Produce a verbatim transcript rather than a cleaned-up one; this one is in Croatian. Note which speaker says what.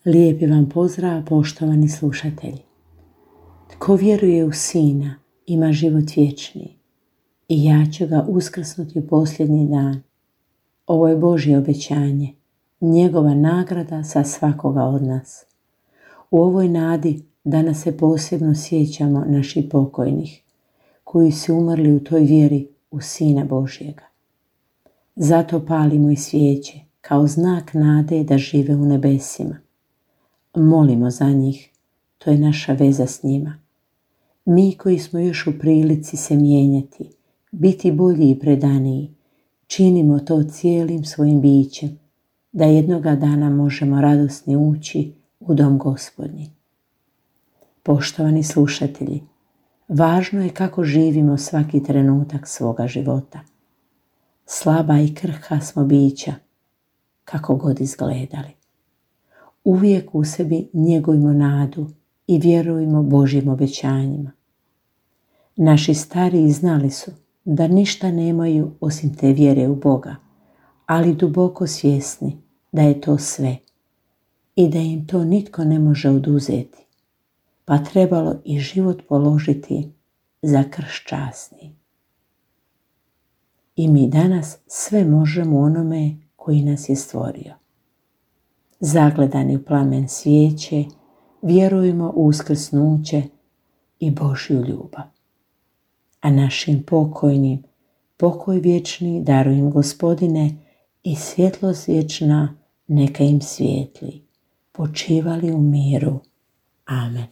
Speaker 1: Lijepi vam pozdrav, poštovani slušatelji. Tko vjeruje u Sina ima život vječni i ja ću ga uskrsnuti u posljednji dan. Ovo je Božje obećanje, njegova nagrada za svakoga od nas. U ovoj nadi danas se posebno sjećamo naših pokojnih, koji su umrli u toj vjeri u Sina Božjega. Zato palimo i svijeće kao znak nade da žive u nebesima. Molimo za njih, to je naša veza s njima. Mi koji smo još u prilici se mijenjati, biti bolji i predaniji, činimo to cijelim svojim bićem, da jednoga dana možemo radosni ući u dom Gospodnji. Poštovani slušatelji, važno je kako živimo svaki trenutak svoga života. Slaba i krhka smo bića, kako god izgledali. Uvijek u sebi njegujmo nadu i vjerujmo Božjim obećanjima. Naši stariji znali su da ništa nemaju osim te vjere u Boga, ali duboko svjesni da je to sve i da im to nitko ne može oduzeti, pa trebalo i život položiti za krst časni. I mi danas sve možemo onome koji nas je stvorio. Zagledani u plamen svijeće, vjerujemo u uskrsnuće i Božju ljubav. A našim pokojnim, pokoj vječni daruj im Gospodine i svjetlost vječna neka im svijetli. Počivali u miru. Amen.